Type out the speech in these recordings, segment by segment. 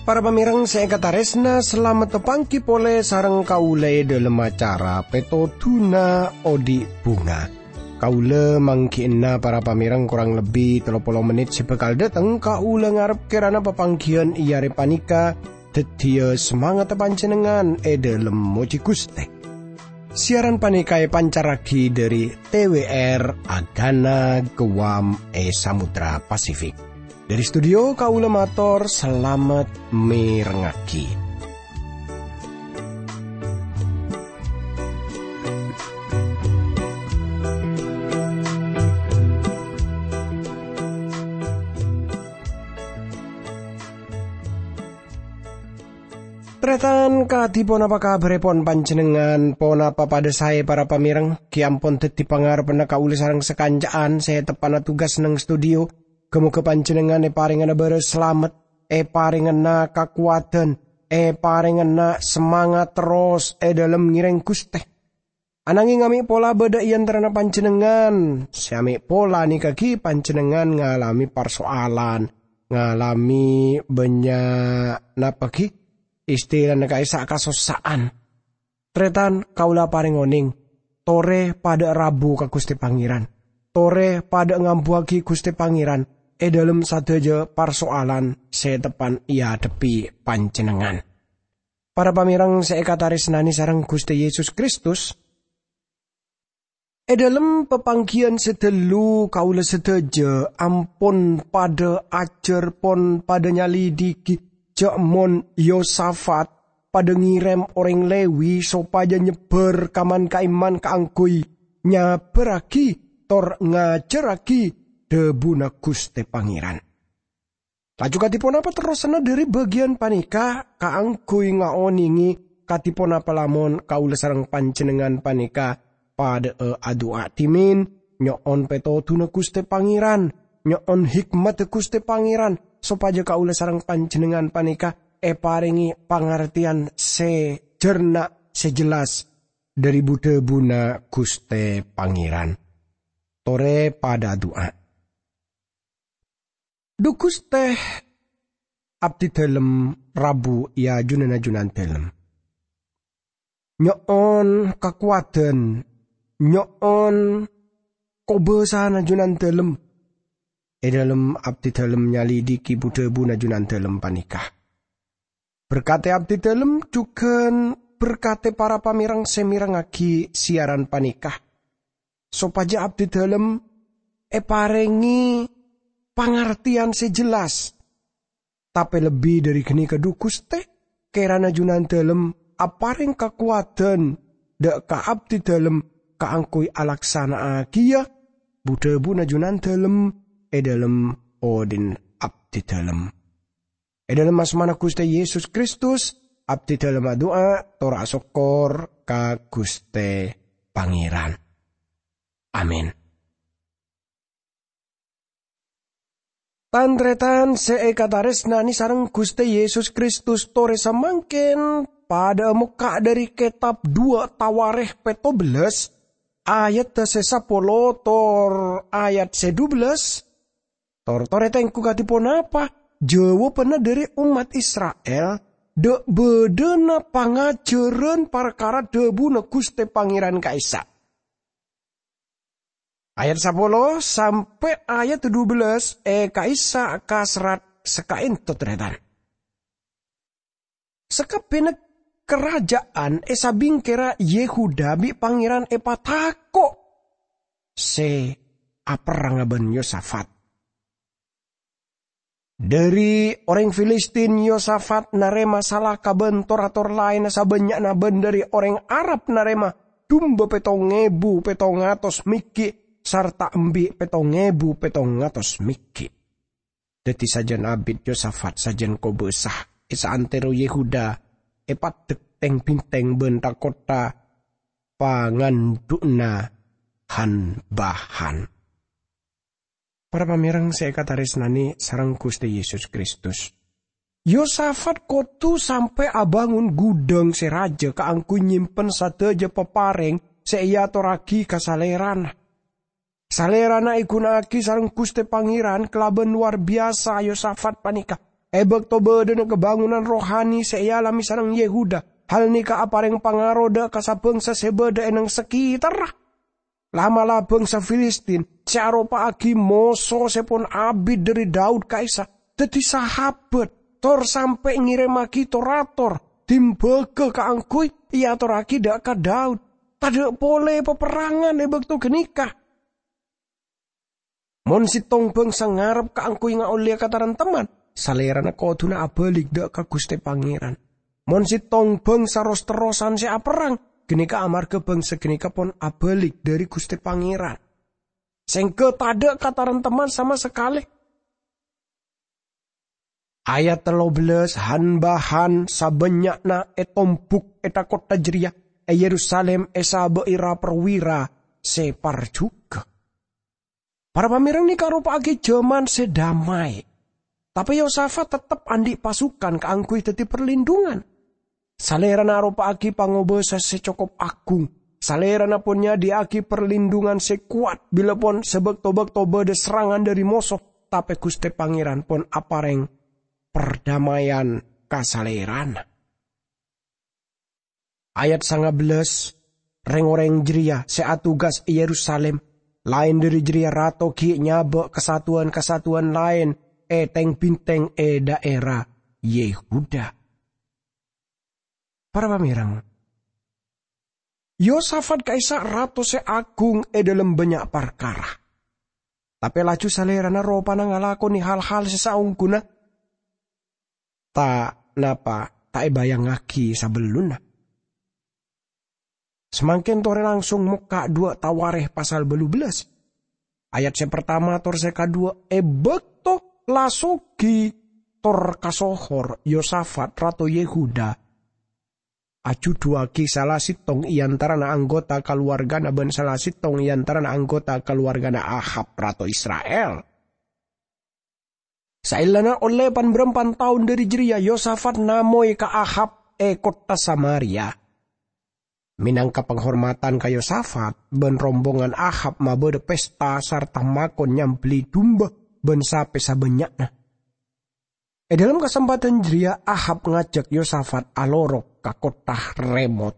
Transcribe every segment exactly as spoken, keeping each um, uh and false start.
Para pamèrèng sè èkatarèsna, salamet tapangghi polè sareng kaulâ è dhâlem acara Pètodhuna Odi' Bhunga. Kaulâ mangghi'na para pamèrèng korang lebbi tello polo mennit sè bhâkal dâteng. Kaulâ ngarep kèrana papangghiyân è arè panèka dhâddhiyâ samangatta panjhennengngan è dhâlem mojhi Ghustè. Siaran panèka èpancarraghi dhâri T W R Agana Guam è Samudra Pasifik. Dhâri studio kaulâ mator salamet mèrengngaghi. Tarètan, kadhi ponapa kabhârèpon panjhennengngan? Ponapa padâ saè, para pamèrèng? Ghi' ampon dhâddhi pangarebbhânna kaulâ sareng sakanca'an sè teppa'na tugas neng studio. Ghâ-moghâ panjhennengngan èparèngana bârâs salamet, èparèngana kakowadhân, èparèngana samangat terros è dhâlem ngèrèng Ghustè. Ananging amè' pola bâdâ è antarana panjhennengngan sè amè' pola nèka ghi' panjhennengngan ngalamè parsoalan, ngalamè bânnya' napa ghi' istilana ka'issa' kasossa'an. Tarètan, kaulâ aparèng onèng, torè padâ rabu ka Ghustè Pangèran. Torè padâ ngambuwâghi Ghustè Pangèran è dhâlem sadhâjâ parsoalan sè teppa'na èadhebbhi panjhennengngan. Para pamèrèng sè èkatarèsnanè sareng Ghustè Yesus Kristus, è dhâlem papangghiyân sè dâllu kaulâ sadhâjâ ampon padâ ajhâr, pon padâ nyalidhighi jhâ' mon Yosafat padâ ngèrèm orèng Lewi sopajâ nyebbhâr ka man-ka'imman kaangghuy nyabârraghi tor ngajhârraghi dhâbuna Ghustè Pangèran. Laju kadhi ponapa terrosanna dhâri bâgiyân panèka kaangghuy ngaonèngè kadhi ponapa lamon kaulâ sareng panjhennengngan panèka padâ'â adu'a dhimèn, nyo'on pètodhuna Ghustè Pangèran, nyo'on hikmadhâ Ghustè Pangèran, sopajâ kaulâ sareng panjhennengngan panèka èparèngè pangartèyan sè jhârna, sè jelas dhâri bu-dhâbuna Ghustè Pangèran. Torè padâ adu'a. Dhu Ghustè, abdhidhâlem rabu è ajunanna Junandhâlem. Nyo'on kakowadhân, nyo'on kobâsana Junandhâlem è dhâlem abdhidhâlem nyalidhighi bu-dhâbuna Junandhâlem panèka. Berkadhi abdhidhâlem jhughân berkadhi para pamèrèng sè mèrengngaghi siaran panèka, sopajâ abdhidhâlem èparèngè pangartèyan sè jelas. Tapè lebbi dhâri ghânèka, dhu Ghustè, kèrana Junandhâlem aparèng kakowadhân dhâ' ka abdhidhâlem kaangghuy alaksana'aghiyâ bu-dhâbuna Junandhâlem è dhâlem odi'na abdhidhâlem. È dhâlem asmana Ghustè Yesus Kristus, abdhidhâlem adu'a tor asokkor ka Ghustè Pangèran. Amin. Tan-tarètan sè èkatarèsnanè sareng Ghustè Yesus Kristus, torè samangkèn padâ'â mokka' dhâri kètab Duwâ' Tawarèkh pètto bellâs, ayat sè sapolo tor ayat sè dubellâs. Tor-torè tèngghu kadhi ponapa jâwâbhânna dhâri ommat Isra'il dhâ' bâdâna pangajhârân parkara dhâbuna Ghustè Pangèran ka'issa'. Ayat sapolo sampè' ayat dubellâs è ka'issa' kaserrat sakaènto, tarètan. Sakabbhiyânna karaja'an è sabingkèra Yehuda bi' Pangèran èpatako' sè aperranga bân Yosafat. Dhâri orèng Filistin, Yosafat narèma salaka bân tor-ator laènna sabânnya'na, bân dhâri orèng Arab narèma dumba pèttong èbu pèttong atos mèghi' sarta embi' pèttong èbu pèttong atos mèghi'. Dhâddhi, sajân abit Yosafat sajân kobâsa è saantèro Yehuda èpaddhek tèng-bhintèng bân tha-kottha pangandhu'na han-bahan. Para pamèrèng sè èkatarèsnanè sareng Ghustè Yesus Kristus, Yosafat kodhu sampè' abângon ghudhâng sè rajâ kaangghuy nyimpen sadhâjâ paparèng sè èatorraghi ka salèrana. Salèrana èghuna'aghi sareng Ghustè Pangèran kalabân lowar biyasa Yosafat panèka. È bâkto bâdâna kabângonan rohani sè èalamè sareng Yehuda, hal nèka aparèng pangaro dâ' ka sa-bângsa sè bâdâ è neng sakètarra. La'-mala' bângsa Filistin sè aropa'aghi moso sè pon abit dhâri Daud ka'issa' dhâddhi sahabat, tor sampè' ngèrèmmaghi tor-ator dimbâghâ kaangghuy èatorraghi dâ' ka Daud. Tadâ' polè paperrangan è bâkto ghânèka. Mon sèttong bângsa ngarep kaangghuy ngaollèya kataremteman, salèrana kodhuna abâlik dâ' ka Ghustè Pangèran. Mon sèttong bângsa ros-terrosan sè aperrang, ghânèka amarghâ bângsa ghânèka pon abâlik dhâri Ghustè Pangèran. Sèngghâ tadâ' kataremteman sama sakalè. Ayat tello bellas, han-bahan sabânnya'na ètombhuk è tha-kottha jârèya, è Yerusalim èsabâ'i ra-parwira sè parjhughâ. Para pamèreng, nèka aropa'aghi jhâman sè damai. Tapè Yosafat tettep andi' pasukan kaangghuy dhâddhi parlindhungan. Salèrana aropa'aghi pangobâsa sè cokop agung. Salèrana pon nyadhiyâ'aghi parlindhungan sè kowat bilâ pon sè bâkto-bâkto bâdâ serrangan dhâri moso, tapè Ghustè Pangèran pon aparèng pardamaian ka salèrana. Ayat sanga bellas, rèng-orèng jârèya sè atugas è Yerusalim, laèn dhâri jârèya rato ghi' nyabâ' kasatowan-kasatowan laèn è tèng-bintèng è dhaèra Yehuda. Para pamèreng, Yosafat ka'issa' rato sè agung è dhâlem bânnya' parkara. Tapè laju salèrana ropana ngalakonè hal-hal sè saongghuna ta' napa ta' èbâjângngaghi sabellunna. Samangkèn torè langsung mokka' duwâ' Tawarèkh pasal bâllu bellas. Ayat sè partama tor sè kaduwâ', è bâkto la soghi tor kasohor, Yosafat, rato Yehuda, ajhudhuwâghi sala sèttong è antarana anggota kalowargana bân sala sèttong è antarana anggota kalowargana Ahab, rato Isra'il. Saellana ollè pan-bârâmpan taon dhâri jârèya, Yosafat namoy ka Ahab è kottha Samaria. Mènangka panghormadhân ka Yosafat, bân rombongan Ahab mabâdâ pesta sarta makon nyambelli dumba bân sapè sabânnya'na. È dhâlem kasempadhân jârèya, Ahab ngajhâk Yosafat alorok ka kottha Ramot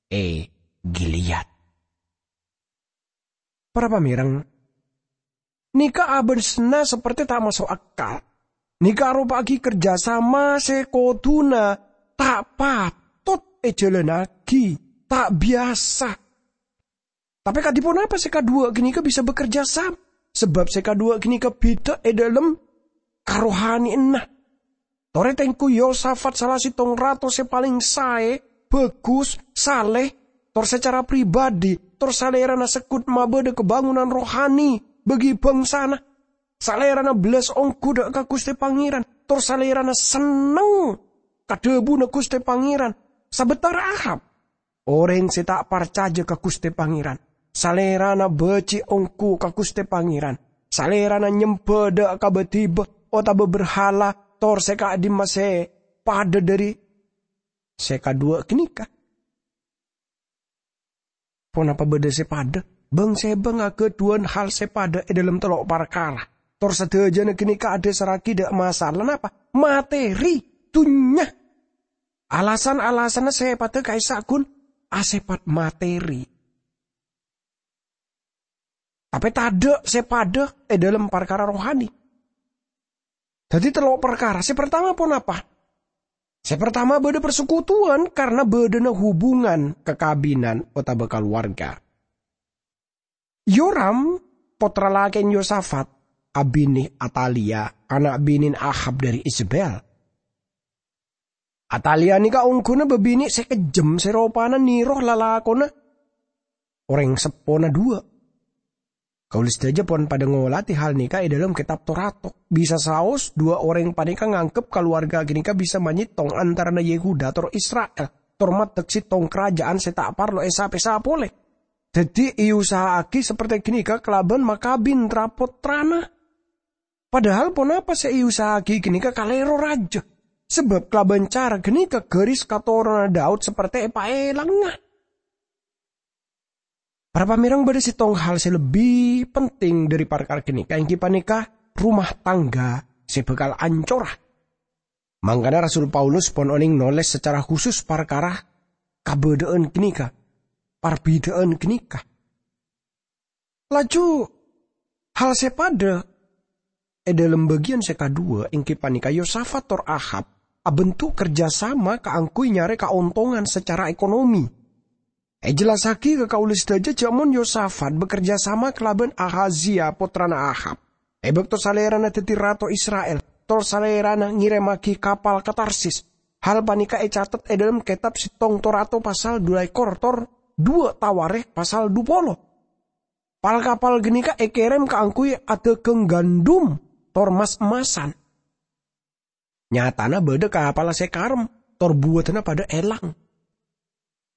è Gilead. Para pamèreng, nèka abâsna saperte ta' maso' akal. Nèka aropa'aghi kerjasama sè kodhuna ta' patot èjhâlânnaghi, ta' biyasa. Tapè kadhi ponapa sè kaduwâ' ghânèka bisa bekerja sama? Sabâb sè kaduwâ' ghânèka bhidhâ è dhâlem karohaniyanna. Torè tèngghu Yosafat sala sèttong rato sè palèng saè, bhâghus, salè, tor sacara pribadhi, tor salèrana segghut mabâdâ kabângonan rohani bagi bhângsana. Salèrana bellas ongghu dâ' ka Ghustè Pangèran, tor salèrana senneng ka dhâbuna Ghustè Pangèran. Sabâtara Ahab, orèng sè ta' parcajâ ka Ghustè Pangèran, salèrana bâji' ongghu ka Ghustè Pangèran. Salèrana nyembhâ dâ' ka bâdhibâ otabâ berhala tor sè ka'dimma sè padâ dhâri sè kaduwâ' ghânèka. Ponapa bâdâ sè padâ? Bâng-sèbâng aghâdhuwân hal sè padâ è dhâlem tello' parkara. Tor sadhâjâna ghânèka adhâsarraghi dâ' masalah napa? Materi, dhunnya. Alasan-alasanna sè padâ ka'issa' ghun asèpat materi. Tapè tadâ' sè padâ è dhâlem parkara rohani. Dhâddhi tello' parkara. Sè partama ponapa? Sè partama bâdâ parsekutuwan karna bâdâna hubungan kakabinan otabâ kalowarga. Yoram, pottra lakèna Yosafat, abinè Atalia, ana' binèna Ahab dhâri Izebel. Atalia nèka ongghuna bâbinè' sè kejjhem sè ropana nèro lalakonna orèng seppona duwâ'. Kaulâ sadhâjâ pon padâ ngolatè hal nèka è dhâlem Kètab Torato. Bisa saos, duwâ' orèng panèka nganggep kalowarga ghânèka bisa manyèttong antarana Yehuda tor Isra'il, tor maddhek sèttong karaja'an sè ta' parlo èsapèsa polè. Dhâddhi, èusaha'aghi saperte ghânèka kalabân makabin tra-pottrana. Padahal ponapa sè èusaha'aghi ghânèka kalèro rajâ. Sabâb kalabân cara ghânèka ghâris katoronan Daud saperte èpaèlangnga. Para pamèreng, bâdâ sèttong hal sè lebbi penting dhâri parkara ghânèka, èngghi panèka rumah tangga sè bhâkal ancora. Mangkana Rasul Paulus pon onèng nolès sacara khusus parkara kabâdâ'ân ghânèka, parbidhâ'ân ghânèka. Laju, hal sè padâ è dhâlem bâgiyân sè kaduwâ, èngghi panèka Yosafat tor Ahab abentuk kerjasama kaangghuy nyarè kaontongan sacara ekonomi. Èjellassaghi ka kaulâ sadhâjâ jhâ' mon Yosafat bekerja sama kalabân Ahazia, pottrana Ahab, è bâkto salèrana dhâddhi rato Isra'il, tor salèrana ngèrèmmaghi kapal ka Tarsis. Hal panèka ècatet è dhâlem kètab Sèttong Torato pasal dulakor tor duwâ' Tawarikh pasal dupolo. Pal-kapal ghânèka èkèrèm kaangghuy adhâghâng gandum tor mas-emmasan. Nyatana bâdâ kapalla sè karem, tor buwâdhânna padâ èlang.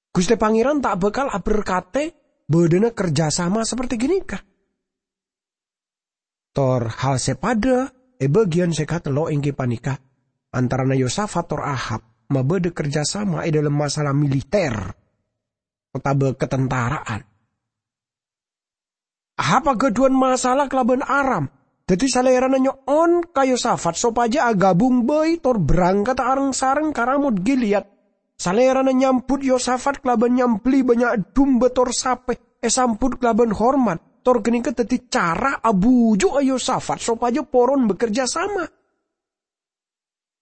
Ghustè Pangèran ta' bhâkal aberkadhi bâdâna kerjasama saperte ghânèka. Tor hal sè padâ è bâgiyân sè katello' èngghi panèka antarana Yosafat tor Ahab mabâdâ kerjasama è dhâlem masalah militer otabâ katantara'an. Ahab aghâdhuwân masalah kalabân Aram. Dhâddhi salèrana nyo'on ka Yosafat sopajâ aghâbung bhâi tor berangkadhâ areng-sareng ka Ramot Gilead. Salèrana nyambut Yosafat kalabân nyambelli bânnya' dumba tor sapè, èsambut kalabân hormat, tor ghânèka dhâddhi cara abuju'a Yosafat sopajâ poron bekerja sama.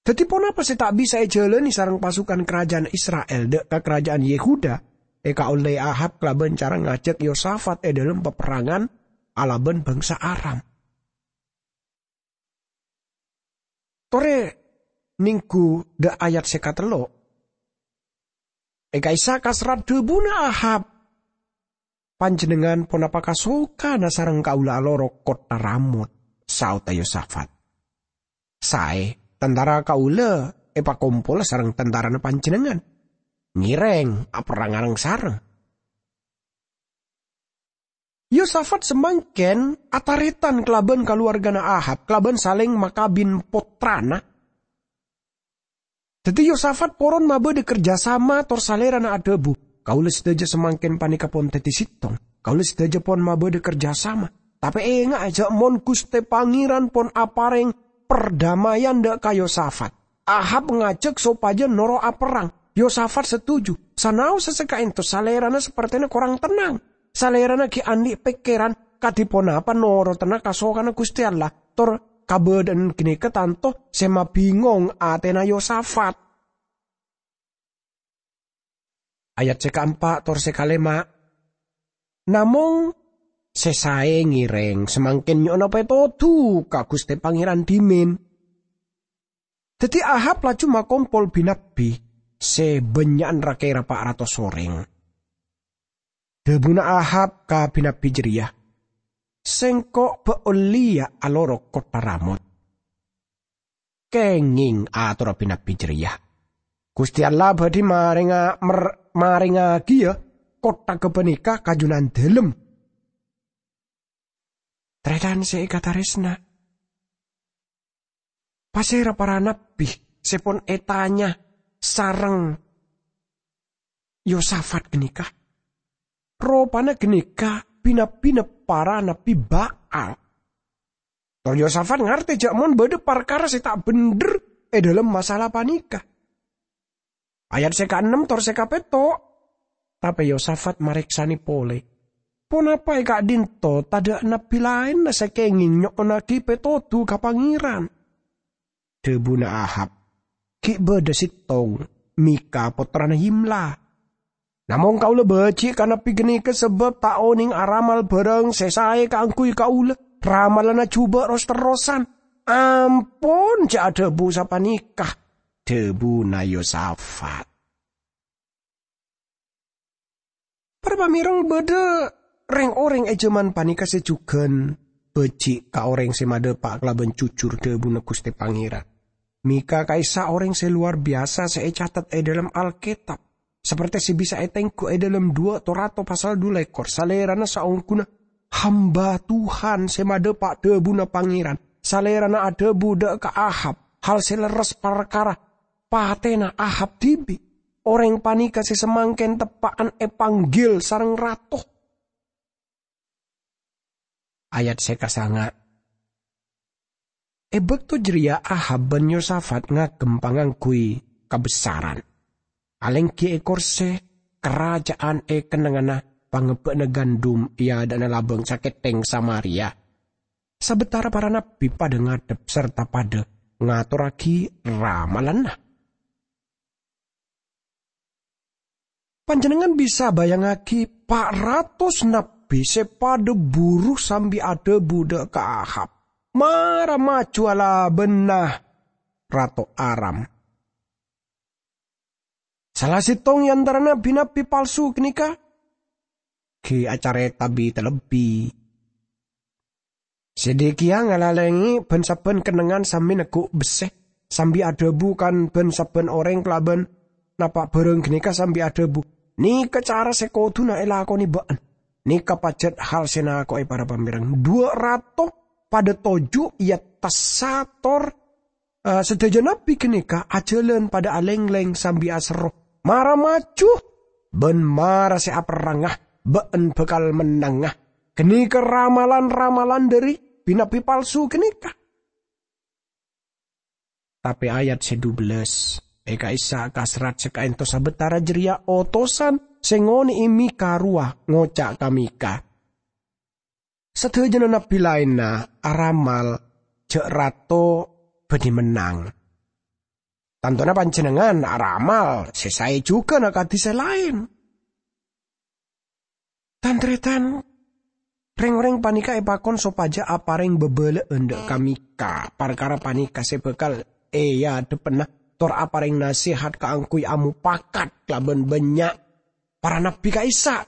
Dhâddhi, ponapa sè ta' bisa èjhâlânè sareng pasukan karaja'an Isra'il dâ' ka karaja'an Yehuda èkaollè Ahab kalabân cara ngajhâk Yosafat è dhâlem paperrangan alabân bangsa Aram? Torè nèngghu dâ' ayat sè katello'. È ka'issa' kaserrat dhâbuna Ahab, "Panjhennengngan ponapa kasokana sareng kaulâ aloro kottha Ramot?" saodhâ Yosafat. "Saè, tantara kaulâ èpakompola sareng tantarana panjhennengngan. Ngèrèng aperrang reng-sareng." Yosafat samangkèn atarètan kalabân kaluwargana Ahab, kalabân salèng makabin pottrana. Dhâddhi Yosafat poron mabâdâ kerjasama, tor salèrana adhâbu, "Kaulâ sadhâjâ samangkèn panèka pon dhâddhi sèttong. Kaulâ sadhâjâ pon mabâdâ kerjasama. Tapè ènga'a jhâ' mon Ghustè Pangèran pon aparèng perdamaian dâ' ka Yosafat." Ahab ngajhâk sopajâ noro' aperrang. Yosafat setuju. Sanaossa sè ka'ènto salèrana sapertèna korang tennang. Salèrana ghi' andi' pèkkèran kadhi ponapa norotanna kasokana Ghustè Allah, tor kabâdâ'ân ghânèka tanto sè mabingong atèna Yosafat. Ayat sè kaempa' tor sè kalèma', "Namong sè saè ngèrèng samangkèn nyo'ona pètodhu ka Ghustè Pangèran dhimèn." Dhâddhi Ahab laju makompol bi-nabbi sè bânnya'an ra-kèra pa' ratos orèng. Dhâbuna Ahab ka bi-nabbi jârèya, "Sèngko' bâ' ollèya aloro kottha Ramot." "Kèngèng," atorra bi-nabbi jârèya, "Ghustè Allah bhâdhi marènga-, mer-, marèngaghiyâ kottha ghâpanèka ka Junandâlem." Tarètan sè èkatarèsna, pasèra para nabbi sè pon ètanya sareng Yosafat ghânèka? Ropana ghânèka bi-nabbina para nabbi Ba'al. Tor Yosafat ngartè jhâ' mon bâdâ parkara sè ta' bhendher è dhâlem masalah panèka. Ayat sè kaennem tor sè kapètto'. Tapè Yosafat marèksanè polè, "Ponapa è ka'dinto tadâ' nabbi laènna sè kèngèng nyo'onnaghi pètodhu ka Pangèran?" Dhâbuna Ahab, "Ghi' bâdâ sèttong, Mika pottrana Yimla. Namong kaulâ bâji' ka nabbi ghânèka sabâb ta' onèng aramal bârâng sè saè kaangghuy kaulâ. Ramalanna jhubâ' ros-terrosan. Ampon jhâ' adhâbu sapanèka," dhâbuna Yosafat. Para pamèreng, bâdâ rèng-orèng è jhâman panèka sè jhughân bâji' ka orèng sè madhâpa' kalabân jujur dhâbuna Ghustè Pangèran. Mika ka'issa' orèng sè lowar biyasa sè ècatet è dhâlem Alkètab, saperte sè bisa ètengghu è dhâlem duwâ' Torato pasal dulekor, salèrana saongghuna hamba Tuhan sè madhâpa' dhâbuna Pangèran. Salèrana adhâbu dâ' ka Ahab hal sè lerres parkara patèna Ahab dhibi'. Orèng panèka sè samangkèn teppa'an èpanggil sareng rato. Ayat sè kasanga'. È bâkto jârèya Ahab bân Yosafat ngagem pangangguy kabessaran, alèngghi è korsè karaja'an è kennengnganna pangebbâ'na gandum è adâ'na labâng sakèttèng Samaria. Sabâtara para nabbhi padâ ngadhep sarta padâ ngatorraghi ramalanna. Panjhennengngan bisa bayangngaghi pa' ratos nabbhi sè padâ buru sambi adhâbu dâ' ka Ahab, "Mara maju alabâna Rato Aram." Sala sèttong è antarana bi-nabbi palsu ghânèka ghi' acarèta bi-talebbi. Zedekiya ngalalèngè bân-sabbhân kennengngan sambi neggu' bessè, sambi adhâbu kan bân-sabbhân orèng kalabân napa' bhârâng ghânèka sambi adhâbu, "Nèka cara sè kodhuna èlakonè bâ'na. Nèka pajhât hal sè nako'è para pamèreng. Duwâ' rato padâ toju' è attassa tor, eh, sadhâjâ nabbhi ghânèka ajhâlân padâ alènglèng sambi aserro, 'Mara maju, bân mara sè aperrangnga, bâ'na bhâkal mennanga.' Ghânèka ramalan-ramalan dhâri bi-nabbi palsu ghânèka." Tapè ayat sè dubellâs, è ka'issa' ka serrat sè kaènto sabâtara jârèya otosan sè ngonè'è Mikha rowa ngoca' ka Mikha, "Sadhâjâna nabbhi laènna aramal jhâ' rato bâdhi mennang. Tantona panjhennengngan aramal sè saè jhughân akadhi sè laèn." Tan-tarètan, rèng-orèng panèka èpakon sopajâ aparèng bâbâlâ'ân dâ' ka Mikha parkara panèka sè bhâkal èadhebbhâna tor aparèng nasèhat kaangghuy amopakat kalabân bânnya' para nabbhi ka'issa'.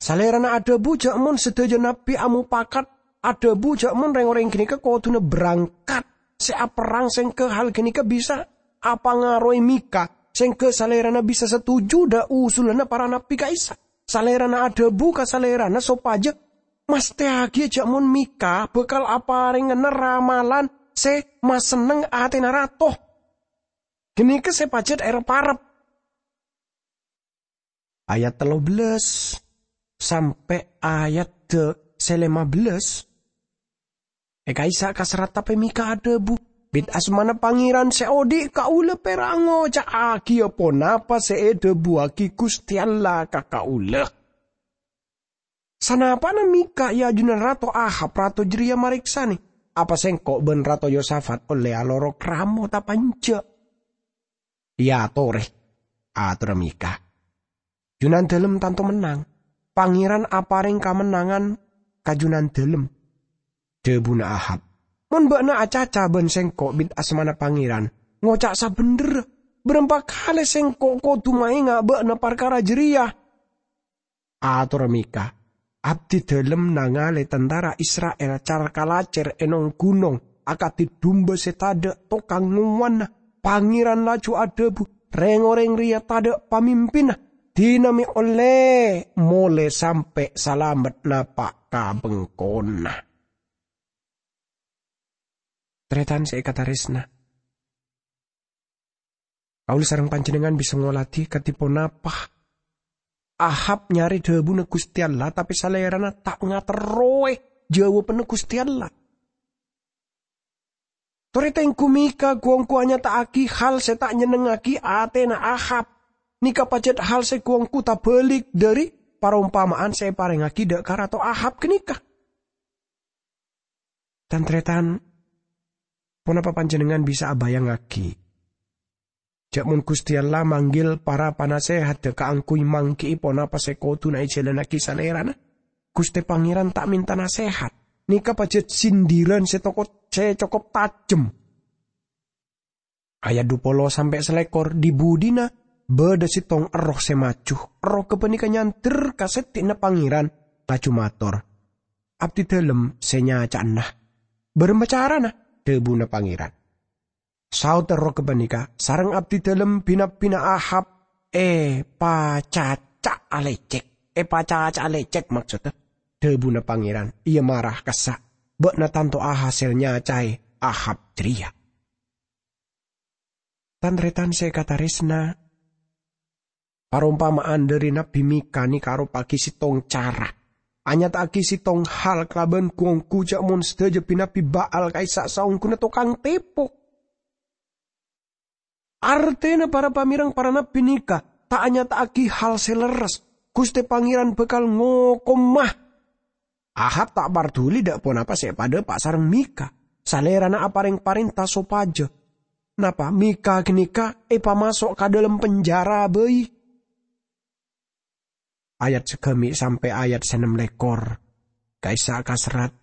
Salèrana adhâbu jhâ' mon sadhâjâ nabbhi amopakat, adhâbu jhâ' mon rèng-orèng ghânèka kodhuna berangkat sè aperrang, sèngghâ hal ghânèka bisa apangaroè Mikha, sèngghâ salèrana bisa satoju dâ' usulanna para nabbhi ka'issa'. Salèrana adhâbu ka salèrana sopajâ mastèyaghiyâ jhâ' mon Mikha bhâkal aparèngana ramalan sè masenneng atèna rato. Ghânèka sè pajhât èrep-arep. Ayat tello bellâs sampè' ayat de-, sè lèma bellâs. È ka'issa' ka serrat tapè Mikha adhâbu, "Bit asmana Pangèran sè odi' kaulâ pèra' ngoca'aghiyâ ponapa sè èdhâbuwâghi Ghustè Allah ka kaulâ." Sanapa'na Mikha è ajunan Rato Ahab, rato jârèya marèksanè, "Apa sèngko' bân Rato Yosafat ollè alorok ramo tapa enjâ'?" "Èyatorè," atorra Mikha. "Junandâlem tanto mennang. Pangèran aparèng kamennangan ka Junandâlem." Dhâbuna Ahab, "Mon bâ'na acaca bân sèngko' bit asmana Pangèran, ngoca' sabhendherra, bârâmpa kalè sèngko' kodhu maènga' bâ'na parkara jârèya?" Atorra Mikha, "Abdidâlem nangalè tantara Isra'il car-kalacèr è nong-ghunong akadhi dumba sè tadâ' tokang ngowana." Pangèran laju adhâbu, "Rèng-orèng rèya tadâ' pamimpinna. Dinah mè' ollè molè sampè' salamet napa' ka bengkona." Tarètan sè èkatarèsna, kaulâ sareng panjhennengngan bisa ngoladhi kadhi ponapa Ahab nyarè dhâbuna Ghustè Allah, tapè salèrana ta' ngaterrowè jâwâbânna Ghustè Allah. Torè tengghu Mikha ghu-ongghu anyata'aghi hal sè ta' nyennengngaghi atèna Ahab. Nèka pajhât hal sè ghu-ongghu tabâlik dhâri parompama'an sè èparèngngaghi dâ' ka Rato Ahab ghânèka. Tan-tarètan, ponapa panjhennengngan bisa abayangngaghi jhâ' mon Ghustè Allah manggil para panasèhadda kaangghuy mangghi'i ponapa sè kodhuna èjhâlânnaghi Salèrana? Ghustè Pangèran ta' mènta nasèhat. Nèka pajhât sindiran sè tokot-, sè cokop tajhem. Ayat dhu polo sampè' salèkor, dhi-budhina bâdâ sèttong erroh sè maju. Erroh ghâpanèka nyandher ka sèddhina Pangèran, laju mator, "Abdidâlem sè nyaca'na." "Bârâmpa carana?" dhâbuna Pangèran. Saodhâ rowa ghâpanèka, "Sareng abdidâlem bi-nabbhina Ahab èpacaca' alècèk." "Èpacaca' alècèk, maksoddhâ?" dhâbuna Pangèran. "Iyâ, mara, kassa'. Bâ'na tanto ahasèl nyacaè Ahab jârèya." Tan-taretan sè èkatarèsna, parompama'an dhâri Nabbhi Mika nèka aropa'aghi sèttong cara, anyata'aghi sèttong hal kalabân ghu-ongghu jhâ' mon sadhâjâ bi-nabbhi Ba'al ka'issa' saongghuna tokang tèpo. Artèna para pamèreng, para nabbhi nèka ta' anyata'aghi hal sè lerres. Ghustè Pangèran bhâkal ngokoma. Ahab ta' parduli dâ' ponapa sè èpadâpa' sareng Mika. Salèrana aparèng parènta sopajâ. Napa Mika ghânèka èpamaso' ka dâlem penjara bhâi? Ayat sagâmè' sampè' ayat sè ennem lèkor. Ka'issa' kaserrat,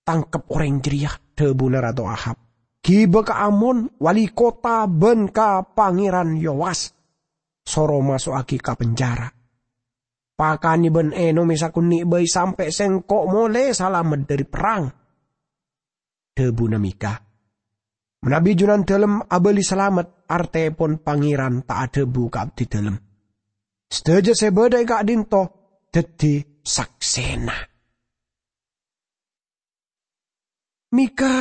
"Tangkep orèng jârèya," dhâbuna Rato Ahab. "Ghibâ ka Amon, wali kottha, bân ka Pangèran Yowas. Soro maso'aghi ka penjara. Pakanè bân ènomè sakonè' bhâi sampè' sèngko' molè salamet dhâri perrang." Dhâbuna Mika, "Manabi Junandalem abâli salamet, artèpon Pangèran ta' adhâbu ka abdidalem. Sadhâjâ sè bâdâ è ka'dinto dhâddhi saksèna." Mika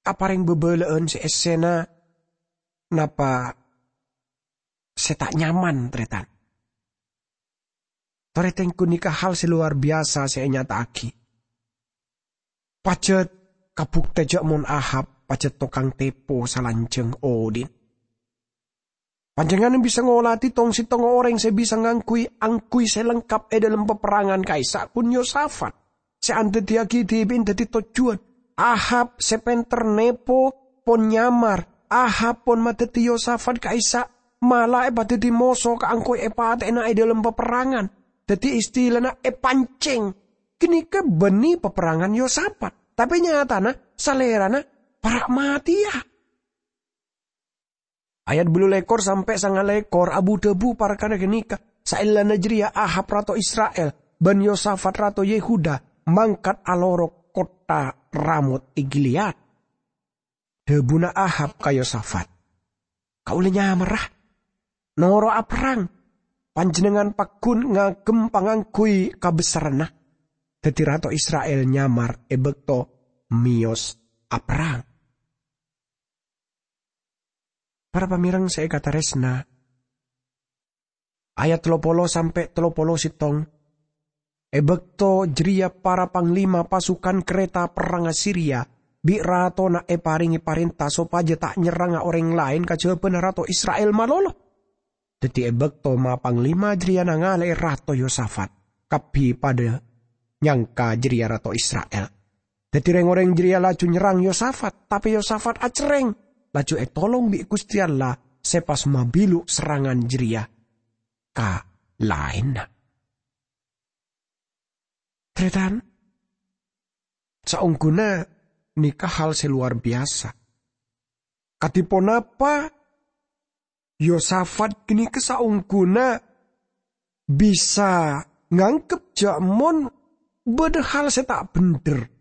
aparèng bâbâlâ'ân sè èssèna napa sè ta' nyaman, tarètan. Tarètan, ghânèka hal sè lowar biyasa sè ènyata'aghi. Pajhât kabuktè jhâ' mon Ahab pajhât tokang tèpo salanjhâng odhi'na. Panjhennengngan bisa ngolatè tong-sèttonga orèng sè bisa ngangghuy angguy sè lengkap è dâlem paperrangan ka'issa' bân Yosafat, sè andhâddhiyaghi dhibi'na dhâddhi tojjhuwân. Ahab sè pènter nèpo pon nyamar. Ahab pon madhâddhi Yosafat ka'issa', mala èpadhâddhi moso kaangghuy èpatè'ana è dâlem paperrangan. Dhâddhi istilana èpancèng. Ghânèka bânnè paperrangan Yosafat, tapè nyatana salèrana para' matèya. Ayat bâllu lèkor sampè' sanga lèkor abu-dhâbu parkara ghânèka. Saellana jârèya Ahab rato Isra'il bân Yosafat rato Yehuda mangkat alorok kottha Ramot è Gilead. Dhâbuna Ahab ka Yosafat, "Kaulâ nyamarra, noro'a perrang. Panjhennengngan pagghun ngagem pangangghuy kabesserranna." Dhâddhi rato Isra'il nyamar è bâkto mèyos aperrang. Para pamèreng sè èkatarèsna, ayat tello polo sampè' tello polo sèttong. È bâkto jârèya para panglima pasukan karèta perrangnga Siria bi' ratona èparèngè parènta sopajâ ta' nyerranga orèng laèn kajhâbhâna rato Isra'il malolo. Dhâddhi è bâkto ma-, panglima jârèya nangalè'è Rato Yosafat, kabbhi padâ nyangka jârèya rato Isra'il. Dhâddhi rèng-orèng jârèya laju nyerrang Yosafat, tapè Yosafat acerrèng, laju ètolong bi' Ghustè Allah sè pas mabilu' serrangan jârèya ka laènna. Tarètan, saongghuna nèka hal sè lowar biyasa. Kadhi ponapa Yosafat ghânèka saongghuna bisa nganggep jâ' mon bâdâ hal sè ta' bhendher.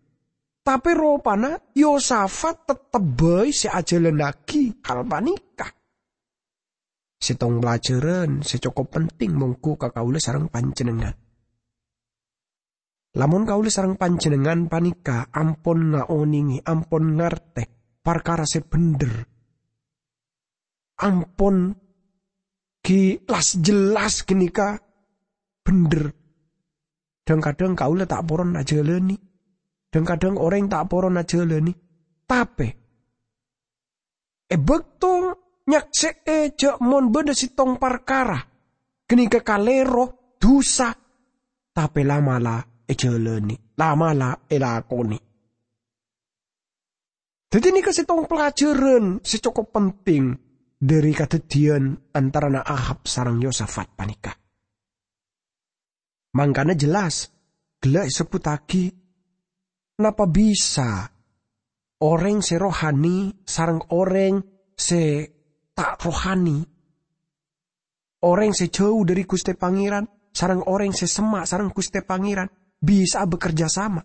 Tapè ropana Yosafat tettep bhâi sè ajhâlânnaghi hal panèka. Sèttong pelajaran sè cokop penting mongghu ka kaulâ sareng panjhennengngan. Lamon kaulâ sareng panjhennengngan panèka ampon ngaonèngè, ampon ngartè parkara sè bhendher, ampon ghi las-jelas ghânèka bhendher, dhâng-kadhâng kaulâ ta' poron ajhâlânè, dhâng-kadhâng orèng ta' poron ajhâlânè. Tapè è bâkto nyaksè'è jâ' mon bâdâ sèttong parkara ghânèka kalèro, dhusa, tapè la'-mala' èjhâlânè, la'-mala' èlakonè. Dhâddhi nèka sèttong pelajaran sè cokop penting dhâri kadhâddhiyân antarana Ahab sareng Yosafat panèka. Mangkana jelas, ghellâ' èsebbhuttaghi, napa bisa orèng sè rohani sareng orèng sè ta' rohani, orèng sè jhâu dhâri Ghustè Pangèran sareng orèng sè semma' sareng Ghustè Pangèran bisa'a bekerja sama?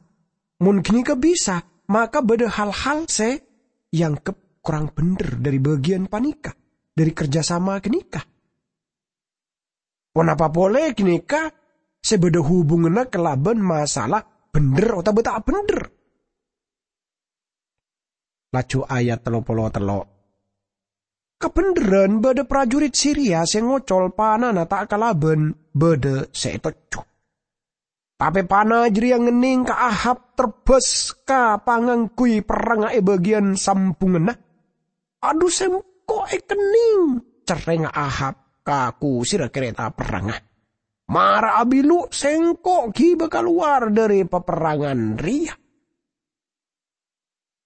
Mon ghânèka bisa, maka bâdâ hal-hal sè èangghep korang bhendher dhâri bâgiyân panèka, dhâri kerja sama ghânèka. Ponapa polè ghânèka sè bâdâ hubunganna kalabân masalah bhendher otabâ ta' bhendher? Laju ayat tello polo tello'. Kabhendherran bâdâ prajurit Siria sè ngocol panana ta' kalabân bâdâ sè ètojjhu. Tapè pana jârèya ngennèng ka Ahab terbâs ka pangangguy perrangnga è bâgiyân sambhungnganna. "Adhu, sèngko' èkennèng," cerrèngnga Ahab ka kusirra karèta perrangnga. "Mara abilu', sèngko' ghibâ kalowar dâri paperrangan rèya."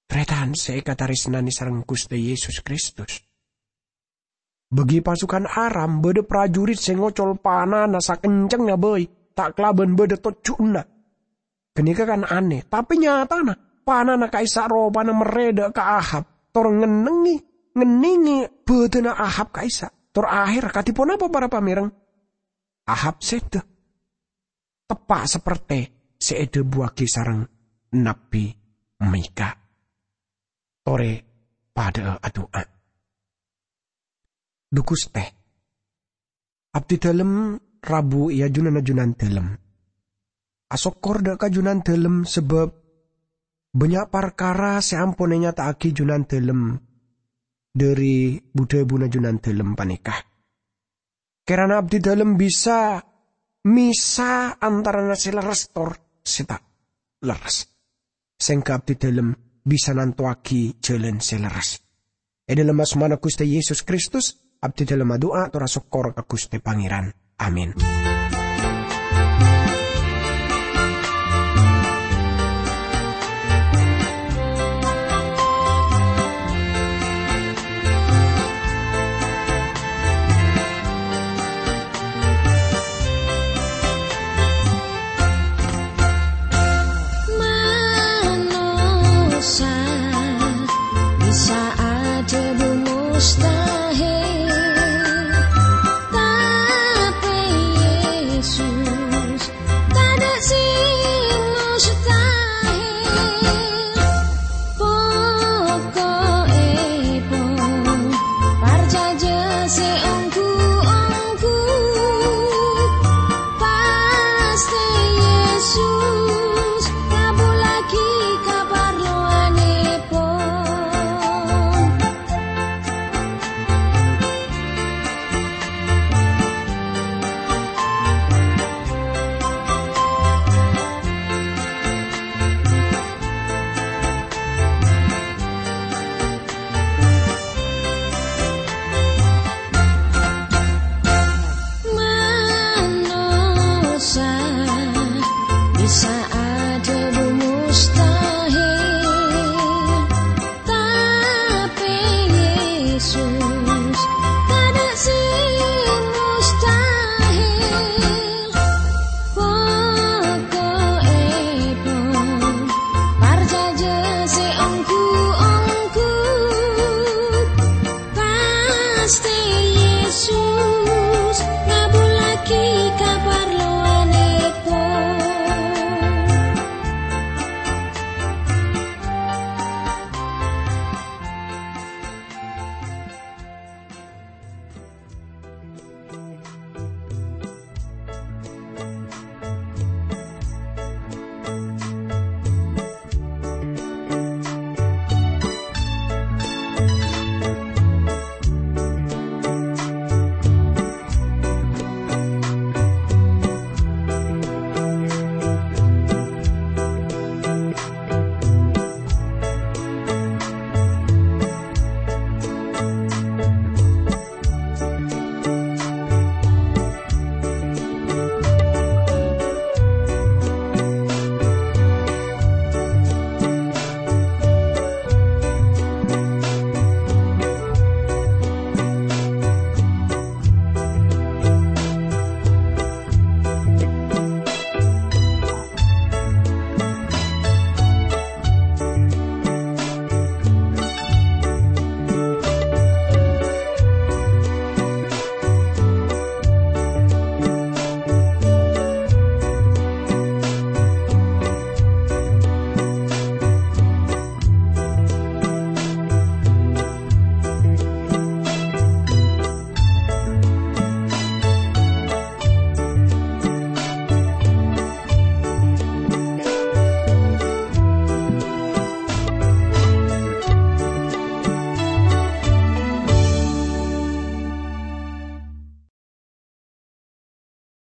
Tarètan sè èkatarèsnanè sareng Ghustè Yesus Kristus. Bâgi pasukan Aram bâdâ prajurit sè ngocol panana sakencengnga bhâi, ta' kalabân bâdâ tojjhuna. Ghânèka kan anè, tapè nyatana panana ka'issa' ropana merrè dâ' ka Ahab, tor ngennengngè, ngennèngè bâdâna Ahab ka'issa'. Tor aherra kadhi ponapa para pamèreng? Ahab sèdhâ. Teppa' saperte sè èdhâbuwâghi sareng Nabbhi Mikha. Torè padhâ'â adu'a. Dhu Ghustè, abdhidhâlem rabu è ajunanna Junandhâlem. Asokkor dâ' ka Junandhâlem sabâb bânnya' parkara sè ampon ènyata'aghi Junandhâlem dâri bu-dhâbuna Junandhâlem panèka. Kèrana abdhidhâlem bisa mèsa antarana sè lerres tor sè ta' lerres. Sèngghâ abdhidhâlem bisa nantowaghi jhâlân sè lerres. È dhâlem asmana Ghustè Yesus Kristus, abdhidhâlem adu'a tor asokkor ka Ghustè Pangèran. Amin.